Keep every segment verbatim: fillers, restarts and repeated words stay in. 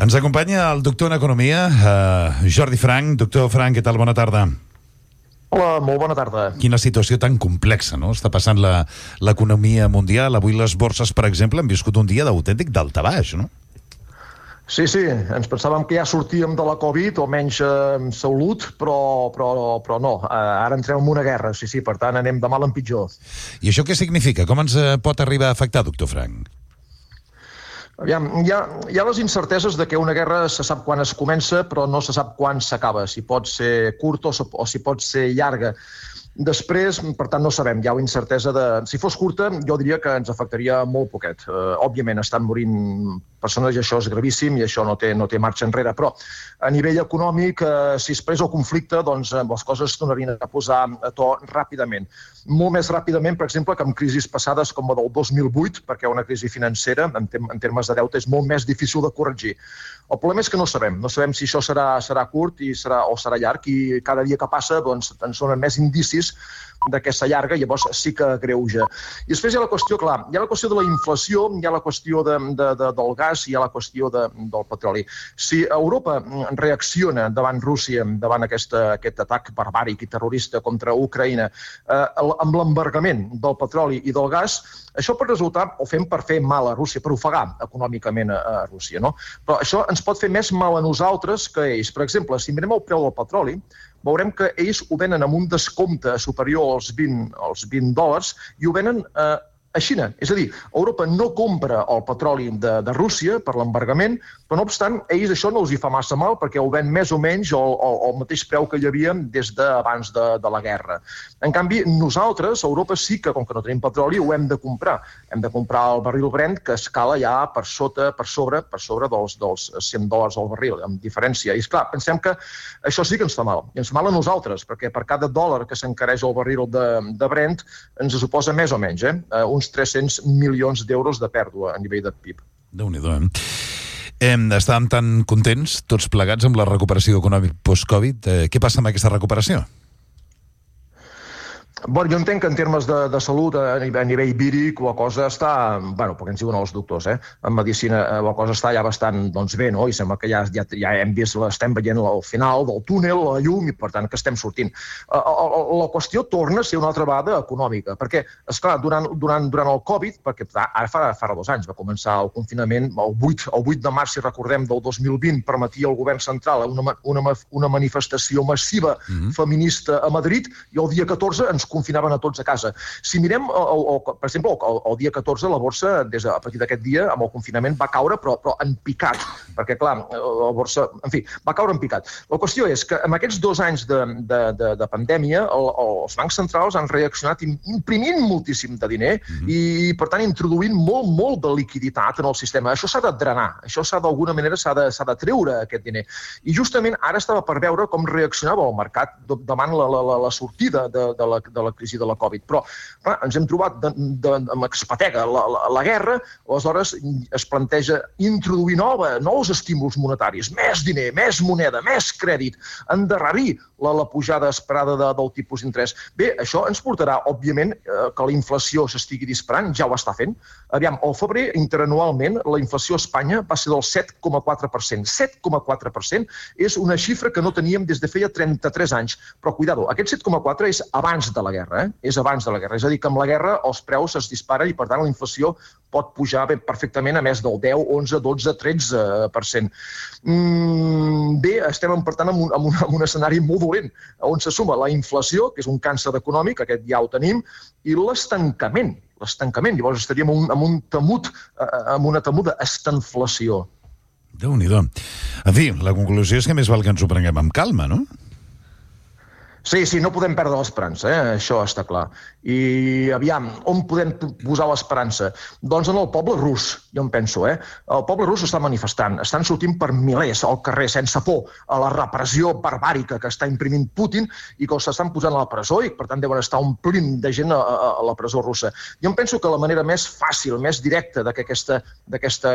Ens acompanya el doctor en Economia, eh, Jordi Frank. Doctor Frank, què tal? Bona tarda. Hola, molt bona tarda. Quina situació tan complexa, no? Està passant la, l'economia mundial. Avui les borses, per exemple, han viscut un dia d'autèntic daltabaix, no? Sí, sí, ens pensàvem que ja sortíem de la Covid, o almenys eh, salut, però, però, però no. Eh, ara entrem en una guerra, sí, sí, per tant anem de mal en pitjor. I això què significa? Com ens eh, pot arribar a afectar, doctor Frank? Aviam, hi ha, hi ha les incerteses de que una guerra se sap quan es comença, però no se sap quan s'acaba, si pot ser curta o, o si pot ser llarga. Després, per tant, no sabem, hi ha una incertesa de... Si fos curta, jo diria que ens afectaria molt poquet. Uh, òbviament, estan morint persones i això és gravíssim i això no té, no té marxa enrere, però a nivell econòmic, uh, si es prés el conflicte, doncs uh, les coses es tornarien a posar a to ràpidament. Molt més ràpidament, per exemple, que en crisis passades com la del dos mil vuit, perquè una crisi financera, en, tem en termes de deute, és molt més difícil de corregir. El problema és que no sabem. No sabem si això serà, serà curt i serà, o serà llarg, i cada dia que passa doncs, ens donen més indicis d'aquesta llarga, llavors sí que greuja. I després hi ha la qüestió, clar, hi ha la qüestió de la inflació, hi ha la qüestió de, de, de, del gas, hi ha la qüestió de, del petroli. Si Europa reacciona davant Rússia, davant aquesta, aquest atac barbàric i terrorista contra Ucraïna, eh, amb l'embargament del petroli i del gas, això pot resultar, o fem per fer mal a Rússia, per ofegar econòmicament a, a Rússia, no? Però això ens pot fer més mal a nosaltres que a ells. Per exemple, si mirem el preu del petroli, veurem que ells ho venen amb un descompte superior als vint, als vint dòlars i ho venen eh, a Xina. És a dir, Europa no compra el petroli de, de Rússia per l'embargament, però no obstant, ells això no els hi fa massa mal perquè ho ven més o menys al, al, al mateix preu que hi havia des d'abans de, de la guerra. En canvi, nosaltres, a Europa sí que, com que no tenim petroli, ho hem de comprar. Hem de comprar el barril Brent, que escala ja per sota, per sobre, per sobre dels, dels cent dòlars al barril, amb diferència. I esclar, pensem que això sí que ens fa mal. I ens fa mal a nosaltres, perquè per cada dòlar que s'encareix el barril de, de Brent ens suposa més o menys, eh? uns tres-cents milions d'euros de pèrdua a nivell de P I B. Déu-n'hi-do, eh? eh? Estàvem tan contents, tots plegats, amb la recuperació econòmica post-Covid. Eh, què passa amb aquesta recuperació? Bueno, jo entenc que en termes de, de salut a nivell, a nivell víric la cosa està, bueno, perquè ens diuen els doctors, eh? En medicina la cosa està ja bastant doncs, bé, no? I sembla que ja, ja, ja hem vist, estem veient el final del túnel, la llum, i per tant que estem sortint. La, la, la qüestió torna a ser una altra vegada econòmica, perquè, esclar, durant, durant, durant el Covid, perquè ara fa, fa dos anys va començar el confinament, el vuit, el vuit de març, si recordem, del dos mil vint, permetia al govern central una, una, una manifestació massiva mm-hmm. feminista a Madrid, i el dia catorze ens confinaven a tots a casa. Si mirem, el, el, per exemple, el, el dia catorze, la borsa, des de, a partir d'aquest dia, amb el confinament, va caure, però, però en picat, perquè, clar, la borsa, en fi, va caure en picat. La qüestió és que en aquests dos anys de, de, de, de pandèmia, el, els bancs centrals han reaccionat imprimint moltíssim de diner mm-hmm. i, per tant, introduint molt, molt de liquiditat en el sistema. Això s'ha de drenar, això s'ha d'alguna manera s'ha de, s'ha de treure, aquest diner. I justament ara estava per veure com reaccionava el mercat davant la, la, la sortida de, de, la, de la crisi de la Covid. Però clar, ens hem trobat de, de, amb expatega la, la, la guerra, aleshores es planteja introduir nova, nous estímuls monetaris, més diner, més moneda, més crèdit, endarrerir la, la pujada esperada de, del tipus d'interès. Bé, això ens portarà, òbviament, eh, que la inflació s'estigui disparant, ja ho està fent. Aviam, al febrer, interanualment, la inflació a Espanya va ser del set coma quatre per cent. set coma quatre per cent és una xifra que no teníem des de feia trenta-tres anys. Però, cuidado, aquest set coma quatre és abans de la guerra, eh? és abans de la guerra. És a dir, que amb la guerra els preus es disparen i, per tant, la inflació pot pujar ben perfectament a més del deu, onze, dotze, tretze per cent. Mm, bé, estem, per tant, en un, en, un, en un escenari molt dolent, on se suma la inflació, que és un càncer econòmic, aquest ja ho tenim, i l'estancament. L'estancament. Llavors estaríem en un, en un temut, en una temuda estanflació. Déu-n'hi-do. En fi, la conclusió és que més val que ens ho prenguem amb calma, no? Sí, sí, no podem perdre l'esperança, eh? Això està clar. I, aviam, on podem posar l'esperança? Doncs en el poble rus, jo em penso, eh? El poble rus està manifestant, estan sortint per milers al carrer sense por a la repressió barbàrica que està imprimint Putin i que els estan posant a la presó i, per tant, deuen estar omplint de gent a, a, a la presó russa. Jo em penso que la manera més fàcil, més directa de que aquesta, d'aquesta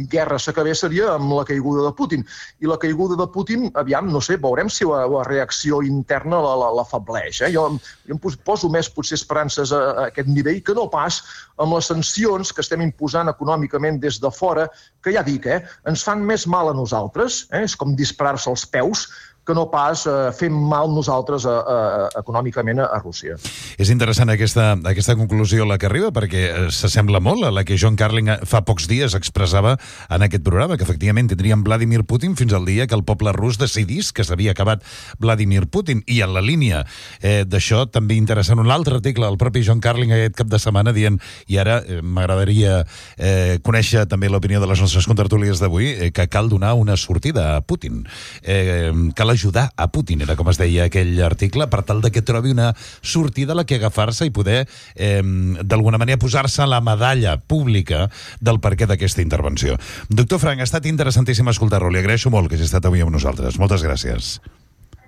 guerra s'acabés seria amb la caiguda de Putin. I la caiguda de Putin, aviam, no sé, veurem si la, la reacció interna la, l'afableix. Eh? Jo, jo em poso més, potser, esperances a, a aquest nivell que no pas amb les sancions que estem imposant econòmicament des de fora, que ja dic, eh, ens fan més mal a nosaltres, eh? És com disparar-se als peus, que no pas eh, fem mal nosaltres a, a, econòmicament a, a Rússia. És interessant aquesta, aquesta conclusió la que arriba, perquè s'assembla molt a la que John Carling fa pocs dies expressava en aquest programa, que efectivament tindríem Vladimir Putin fins al dia que el poble rus decidís que s'havia acabat Vladimir Putin. I en la línia eh, d'això també interessant un altre article del propi John Carling aquest cap de setmana dient, i ara eh, m'agradaria eh, conèixer també l'opinió de les nostres contertúlies d'avui, eh, que cal donar una sortida a Putin. Eh, cal ajudar a Putin, era com es deia aquell article, per tal de que trobi una sortida a la que agafar-se i poder, eh, d'alguna manera, posar-se a la medalla pública del perquè d'aquesta intervenció. Doctor Frank, ha estat interessantíssim escoltar-lo. Li agraeixo molt que hagi estat avui amb nosaltres. Moltes gràcies.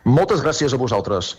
Moltes gràcies a vosaltres.